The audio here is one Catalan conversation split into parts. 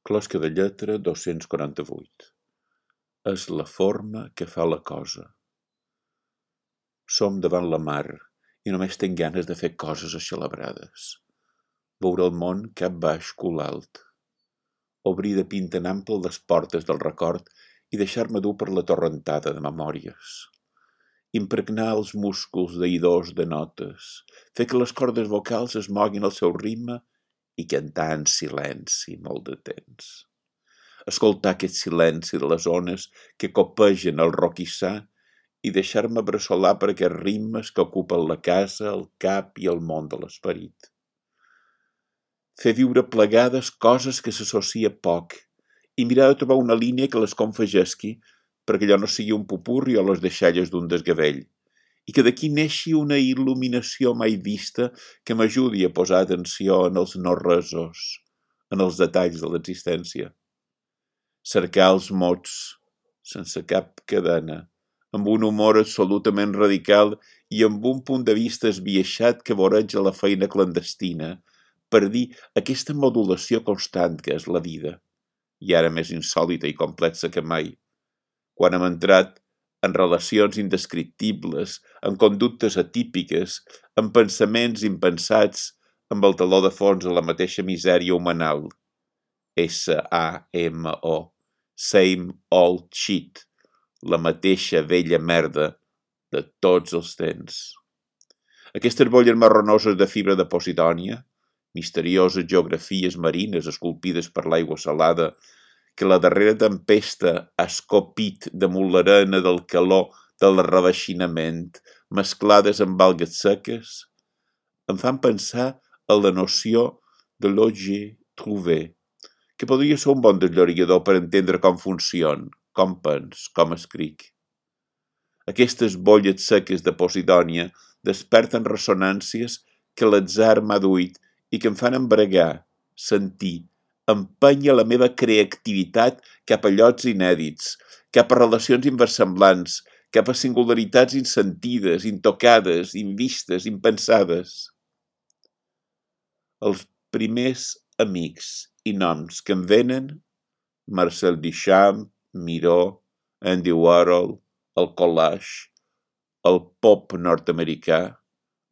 Closca de lletra 248. És la forma que fa la cosa. Som davant la mar i només tenc ganes de fer coses aixelebrades. Veure el món cap baix cul alt. Obrir de pinta en ample les portes del record i deixar-me dur per la torrentada de memòries. Impregnar els músculs d'oïdors de notes, fer que les cordes vocals es moguin al seu ritme i cantar en silenci molt de temps. Escoltar aquest silenci de les ones que copegen el roquissar i deixar-me bressolar per aquests ritmes que ocupen la casa, el cap i el món de l'esperit. Fer viure plegades coses que s'associa poc i mirar de trobar una línia que les confegesqui perquè allò no sigui un pupurri o les deixalles d'un desgavell i que d'aquí neixi una il·luminació mai vista que m'ajudi a posar atenció en els no-resos, en els detalls de l'existència. Cercar els mots, sense cap cadena, amb un humor absolutament radical i amb un punt de vista esbiaixat que voreja la feina clandestina, per dir aquesta modulació constant que és la vida, i ara més insòlita i complexa que mai, quan hem entrat en relacions indescriptibles, en conductes atípiques, en pensaments impensats, amb el taló de fons a la mateixa misèria humanal. S-A-M-O, same old shit, la mateixa vella merda de tots els temps. Aquestes bolles marronoses de fibra de Posidònia, misterioses geografies marines esculpides per l'aigua salada, que la darrera tempesta ha escopit damunt l'arena del calor del rebaixinament, mesclades amb algues seques, em fan pensar en la noció de l'objet trouvé, que podria ser un bon desllorigador per entendre com funciona, com pens, com escric. Aquestes bolles seques de Posidònia desperten ressonàncies que l'atzar m'ha duit i que em fan embregar, sentir, empenya la meva creativitat cap a llocs inèdits, cap a relacions inversemblants, cap a singularitats insentides, intocades, invistes, impensades. Els primers amics i noms que em venen, Marcel Duchamp, Miró, Andy Warhol, el collage, el pop nord-americà,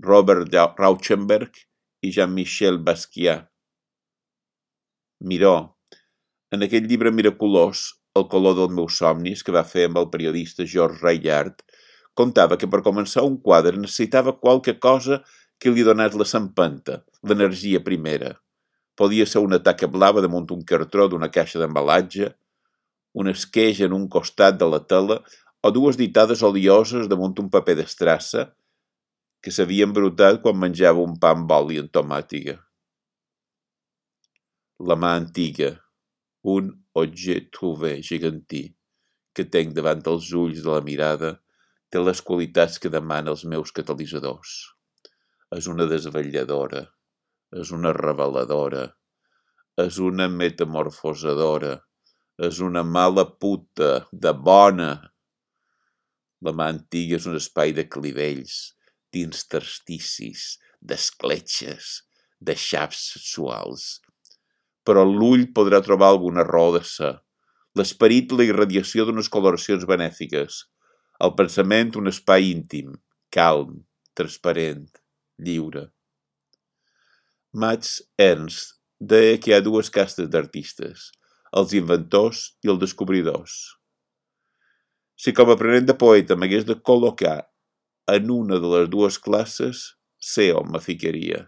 Robert Rauschenberg i Jean-Michel Basquiat. Miró, en aquell llibre miraculós, El color dels meus somnis, que va fer amb el periodista George Raillard, contava que per començar un quadre necessitava qualque cosa que li donés la sempenta, l'energia primera. Podia ser una taca blava damunt un cartró d'una caixa d'embalatge, un esqueix en un costat de la tela o dues ditades olioses damunt un paper d'estrassa que s'havia embrutat quan menjava un pa amb oli en tomàtiga. La mà antiga, un objet trouvé gegantí, que tenc davant els ulls de la mirada, té les qualitats que demana els meus catalitzadors. És una desvetlladora, és una reveladora, és una metamorfosadora, és una mala puta, de bona. La mà antiga és un espai de clivells, d'intersticis, d'escletxes, de xaps sexuals. Però l'ull podrà trobar alguna raó de ser. L'esperit, la irradiació d'unes coloracions benèfiques. El pensament, un espai íntim, calm, transparent, lliure. Max Ernst deia que hi ha dues castes d'artistes, els inventors i els descobridors. Si com a aprenent de poeta m'hagués de col·locar en una de les dues classes, sé on me ficaria.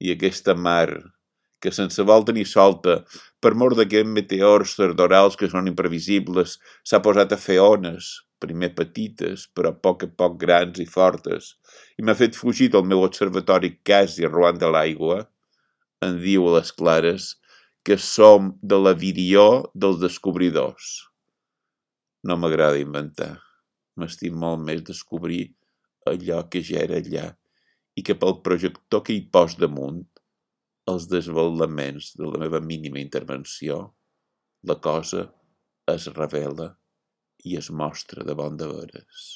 I aquesta mar que sense volta ni solta, per mor d'aquests meteors tardorals que són imprevisibles, s'ha posat a fer ones, primer petites, però a poc grans i fortes, i m'ha fet fugir del meu observatori quasi arruant de l'aigua, em diu a les clares que som de la virió dels descobridors. No m'agrada inventar, m'estim molt més descobrir allò que ja era allà i que pel projector que hi pos damunt, els desvelaments de la meva mínima intervenció, la cosa es revela i es mostra de bon de veres.